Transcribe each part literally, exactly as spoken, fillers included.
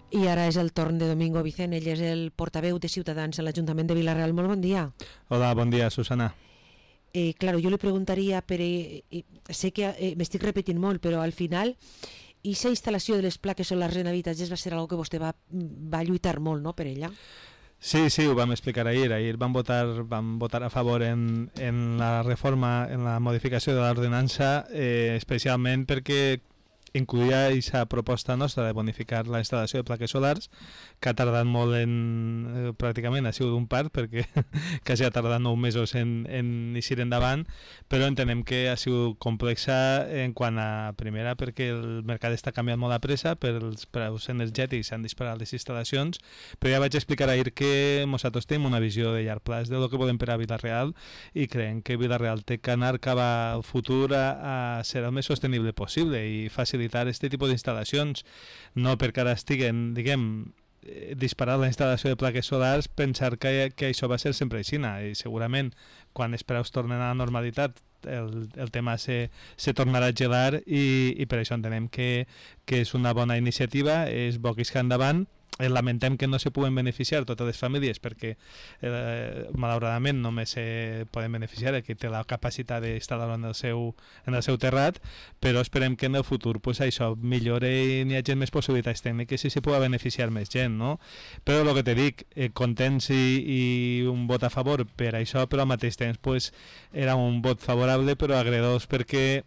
I ara és el torn de Domingo Vicent, ell és el portaveu de Ciutadans en l'Ajuntament de Vila-real. Molt bon dia. Hola, bon dia, Susana. Eh, claro, yo le preguntaría, pero eh, eh, sé que eh, me estic repetint molt, però al final aquesta instal·lació de les plaques solars en habitatges va ser algo que vostè va, va lluitar molt, no?, per ella. Sí, sí, ho vam explicar ahir. Ahir vam votar, vam votar a favor en, en la reforma, en la modificació de l'ordenança, eh, especialment perquè incluïa aquesta proposta nostra de bonificar la instal·lació de plaques solars, que ha tardat molt en, eh, pràcticament ha sigut un part, perquè quasi ha tardat nou mesos en, en eixir endavant, però entenem que ha sigut complexa en quant a, primera, perquè el mercat està canviant molt a pressa, per els preus energètics s'han disparat les instal·lacions, però ja vaig explicar ahir que nosaltres tenim una visió de llarg plaç de lo que volem per a Vila-real i creiem que Vila-real té que anar cap al futur a, a ser el més sostenible possible i facilitar aquest tipus d'instal·lacions, no perquè ara estiguen, diguem, disparar la instal·lació de plaques solars, pensar que, que això va ser sempre així, i segurament quan els preus tornen a la normalitat el, el tema se, se tornarà a gelar i, i per això entenem que, que és una bona iniciativa, és bo que isca endavant. Lamentem que no se puguen beneficiar totes les famílies perquè eh, malauradament només se poden beneficiar el que té la capacitat d'instal·lar-ho en el seu, en el seu terrat, però esperem que en el futur pues, això millore i n'hi hagi més possibilitats tècniques i se pugui beneficiar més gent, no? Però el que te dic, eh, contents i, i un vot a favor per això, però al mateix temps pues, era un vot favorable però agredós perquè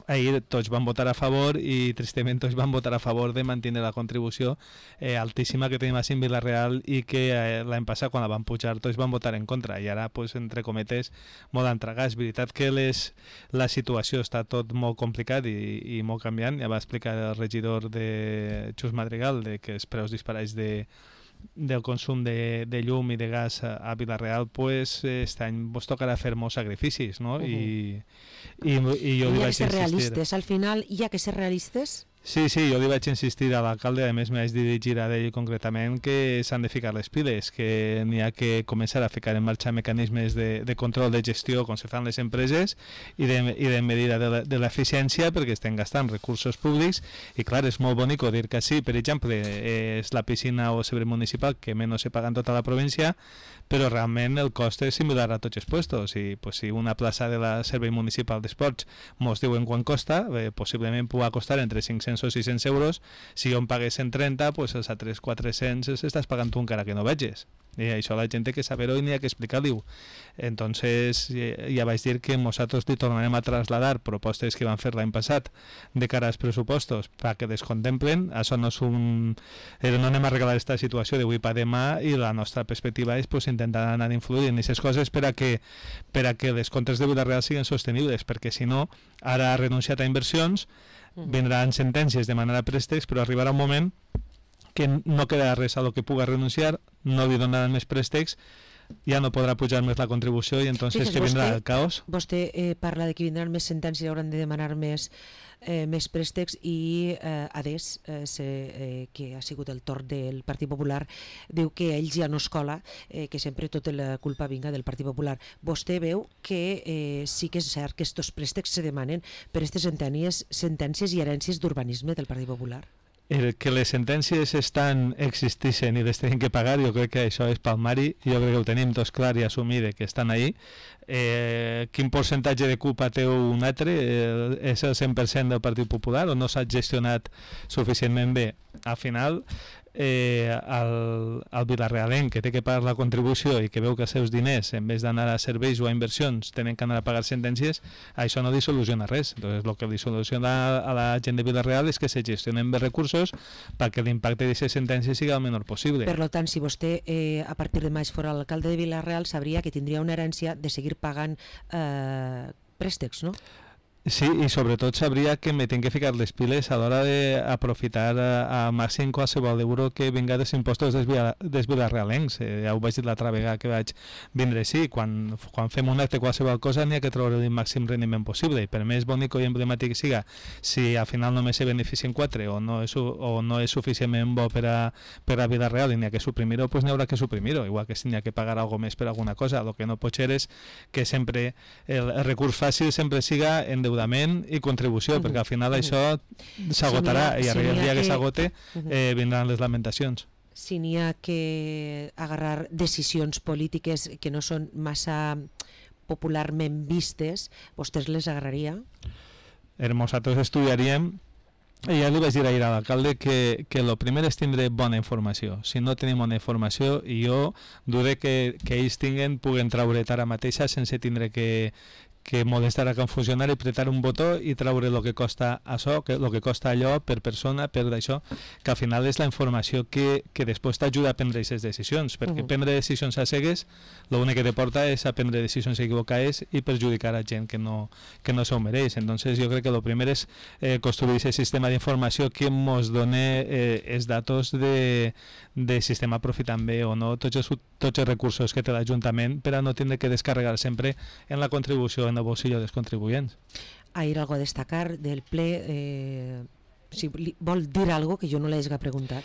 ahir tots van votar a favor i tristament tots van votar a favor de mantenir la contribució eh, altíssima que tenim a en Vila-real i que eh, l'any passat quan la van pujar tots van votar en contra i ara, pues, entre cometes, molt entregar. És veritat que les, la situació està tot molt complicat i, i molt canviant. Ja va explicar el regidor de Xus Madrigal de que els preus disparats de del consum de, de llum i de gas a, a Vila-real, pues este any vos tocarà fer molts sacrificis, no? Uh -huh. I, i, i jo li vaig insistir. Hi ha que ser realistes, al final hi ha que ser realistes? Sí, sí, jo li vaig insistir a l'alcalde, a més m'he dirigir a ell concretament que s'han de ficar les piles, que n'hi ha que començar a ficar en marxa mecanismes de, de control de gestió com se fan les empreses i de, i de medida de l'eficiència perquè estem gastant recursos públics i clar, és molt bonic dir que sí, per exemple, és la piscina o servei municipal que menys se paga en tota la província, però realment el cost és similar a tots els puestos i pues, si una plaça de la servei municipal d'esports mos diuen quan costa, eh, possiblement pugui costar entre cinc-cents o sis-cents euros, si jo em pagués cent trenta, pues els altres quatre-cents estàs pagant tu encara que no veges. I això la gent té que saber-ho i n'hi ha que explicar-li-ho. Entonces ja vaig dir que nosaltres li tornarem a trasladar propostes que van fer l'any passat de cara als pressupostos perquè les contemplen. Això no és un... no anem a arreglar aquesta situació d'avui per demà i la nostra perspectiva és pues, intentar anar influint en aquestes coses per a que, per a que les comptes de Vila-real siguin sostenibles, perquè si no, ara ha renunciat a inversions, vindran sentències de manera préstecs, però arribarà un moment que no quedarà res a lo que puga renunciar, no li donaran més préstecs, ja no podrà pujar més la contribució i entonces Fixes, que vindrà vostè, el caos. Vostè eh, parla de que vindran més sentències i hauran de demanar més, eh, més préstecs i eh, Adés, eh, se, eh, que ha sigut el torn del Partit Popular, diu que ells ja no es cola, eh, que sempre tota la culpa vinga del Partit Popular. Vostè veu que eh, sí que és cert que aquests préstecs se demanen per aquestes sentències, sentències i herències d'urbanisme del Partit Popular? El que les sentències estan existeixen i les tenim que pagar, jo crec que això és palmari, jo crec que ho tenim tots clar i assumir que estan ahí. Eh, quin percentatge de culpa té un altre? Eh, és el cent per cent del Partit Popular o no s'ha gestionat suficientment bé? Al final, eh, el, el Vila-realenc que té que pagar la contribució i que veu que els seus diners, en vez d'anar a serveis o a inversions, tenen que anar a pagar sentències, això no li soluciona res. Entonces, el que li soluciona a la gent de Vila-real és que se gestionen bé recursos perquè l'impacte d'aquestes sentències sigui el menor possible. Per tant, si vostè eh, a partir de maig fora l'alcalde de Vila-real, sabria que tindria una herència de seguir pagant eh, préstecs, no? Sí, i sobretot sabria que me tinc que ficar les piles a l'hora d'aprofitar a, a màxim qualsevol euro que vinga dels impostos dels, dels vilarrealencs. Eh, ja ho vaig dir l'altra vegada que vaig vindre així. Quan, quan fem un acte qualsevol cosa n'hi ha que treure el màxim rendiment possible. I per més bonic i emblemàtic que siga, si al final només se beneficien quatre o no és, o no és suficientment bo per a, per a Vila-real i n'hi ha que suprimir-ho, doncs n'hi haurà que suprimir-ho. Igual que si n'hi ha que pagar alguna més per alguna cosa. El que no pot ser és que sempre el, el recurs fàcil sempre siga en endeudament i contribució, uh -huh. perquè al final uh -huh. això s'agotarà si i arriba si el dia que, que s'agote eh, vindran les lamentacions. Si n'hi ha que agarrar decisions polítiques que no són massa popularment vistes, vostès les agarraria? Nosaltres estudiaríem, i ja li vaig dir ahir a l'alcalde que, que el primer és tindre bona informació. Si no tenim bona informació, i jo dure que, que ells tinguen, puguen treure ara mateixa sense tindre que, que molestar a un funcionari, apretar un botó i treure el que costa això, que, el que costa allò per persona, per d'això, que al final és la informació que, que després t'ajuda a prendre aquestes decisions, perquè uh -huh. prendre decisions a cegues, l'únic que te porta és a prendre decisions equivocades i perjudicar a gent que no, que no s'ho mereix. Entonces jo crec que el primer és eh, construir aquest sistema d'informació que ens doni eh, els datos de, de sistema aprofitant bé o no tots els, tots els recursos que té l'Ajuntament per a no tindre que descarregar sempre en la contribució en el bolsillo dels contribuyents. Ahir algo a destacar del ple, eh, si vol dir algo que jo no l'he preguntat.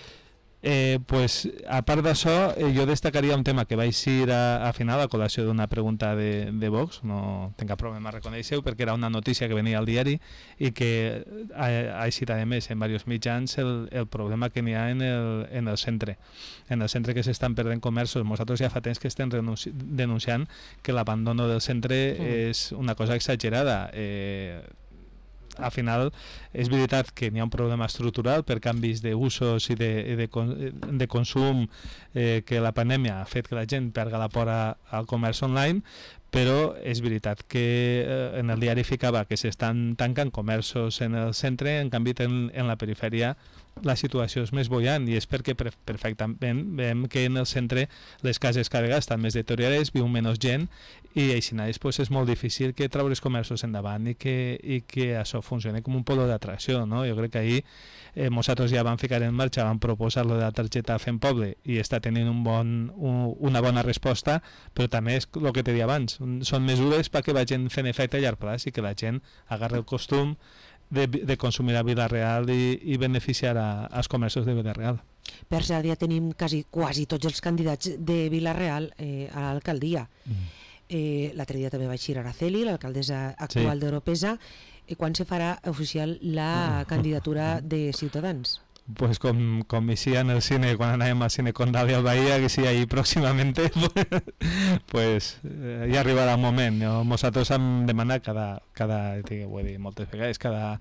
Eh, pues, a part d'això, eh, jo destacaria un tema que vaig ir a, a final a col·lació d'una pregunta de, de Vox, no tinc cap problema a reconèixer-ho, perquè era una notícia que venia al diari i que ha, ha eixit a més en diversos mitjans el, el problema que n'hi ha en el, en el centre. En el centre que s'estan perdent comerços. Nosaltres ja fa temps que estem denunciant que l'abandono del centre mm. és una cosa exagerada. Eh, al final és veritat que n'hi ha un problema estructural per canvis d'usos i de, de, de consum eh, que la pandèmia ha fet que la gent perga la por al comerç online, però és veritat que eh, en el diari ficava que s'estan tancant comerços en el centre, en canvi en, en la perifèria la situació és més boiant, i és perquè perfectament veiem que en el centre les cases cada vegada estan més deteriorades, viu menys gent, i així pues, és molt difícil que treure els comerços endavant i que, i que això funcioni com un polo d'atracció, no? Jo crec que ahir eh, nosaltres ja vam ficar en marxa, vam proposar lo de la targeta Fem Poble i està tenint un bon, un, una bona resposta, però també és el que te deia abans, són mesures perquè vagin fent efecte a llarg plaç i que la gent agarri el costum de, de consumir a Vila-real i, i beneficiar a, als comerços de Vila-real. Per cert, ja tenim quasi, quasi tots els candidats de Vila-real eh, a l'alcaldia. Mm. Eh, L'altre dia també vaig ir a Araceli, l'alcaldessa actual sí. d'Oropesa. I quan se farà oficial la candidatura de Ciutadans? Pues com, com així en el cine, quan anàvem al cine Condal i al Bahia, que sí, ahí pròximament, pues eh, ja arribarà el moment. Nosaltres hem demanat cada, cada ho he dit moltes vegades, cada,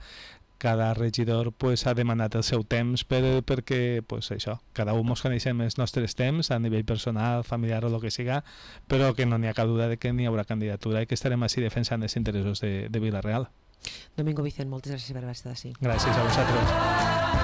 cada regidor pues, ha demanat el seu temps per, perquè pues, això, cada un ens coneixem els nostres temps a nivell personal, familiar o el que siga, però que no n'hi ha cap duda de que n'hi haurà candidatura i que estarem així defensant els interessos de, de Vila-real. Domingo Vicent, moltes gràcies per haver estat així. Gràcies a vosaltres.